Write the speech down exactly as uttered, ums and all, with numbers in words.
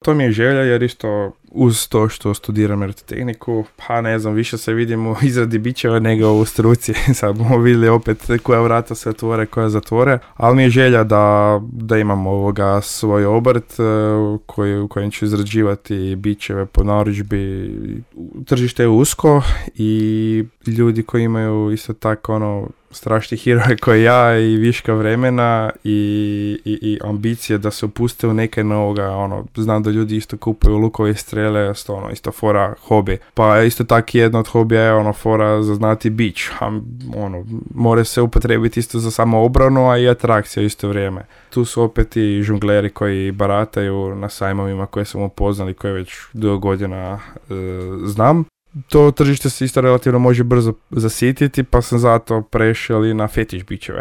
To mi je želja jer isto uz to što studiram elektrotehniku, pa ne znam, više se vidim u izradi bićeva nego u struci. Sad bomo vidjeli opet koja vrata se otvore, koja zatvore, ali mi je želja da, da imam ovoga svoj obrt koji, u kojem ću izrađivati bićeve po narudžbi. Tržište je usko i ljudi koji imaju isto tako ono strašni heroje koji ja i viška vremena i, i, i ambicije da se upuste u neke novoga, ono, znam da ljudi isto kupuju lukove i strele, isto, ono, isto fora hobi. Pa isto tako jedno od hobija je ono fora za znati bić, a ono, more se upotrebiti isto za samo obranu, a i atrakcija isto vrijeme. Tu su opet i žongleri koji barataju na sajmovima koje sam upoznali, koje već dugo godina e, znam. To tržište se isto relativno može brzo zasititi, pa sam zato prešao i na fetiš bićeve.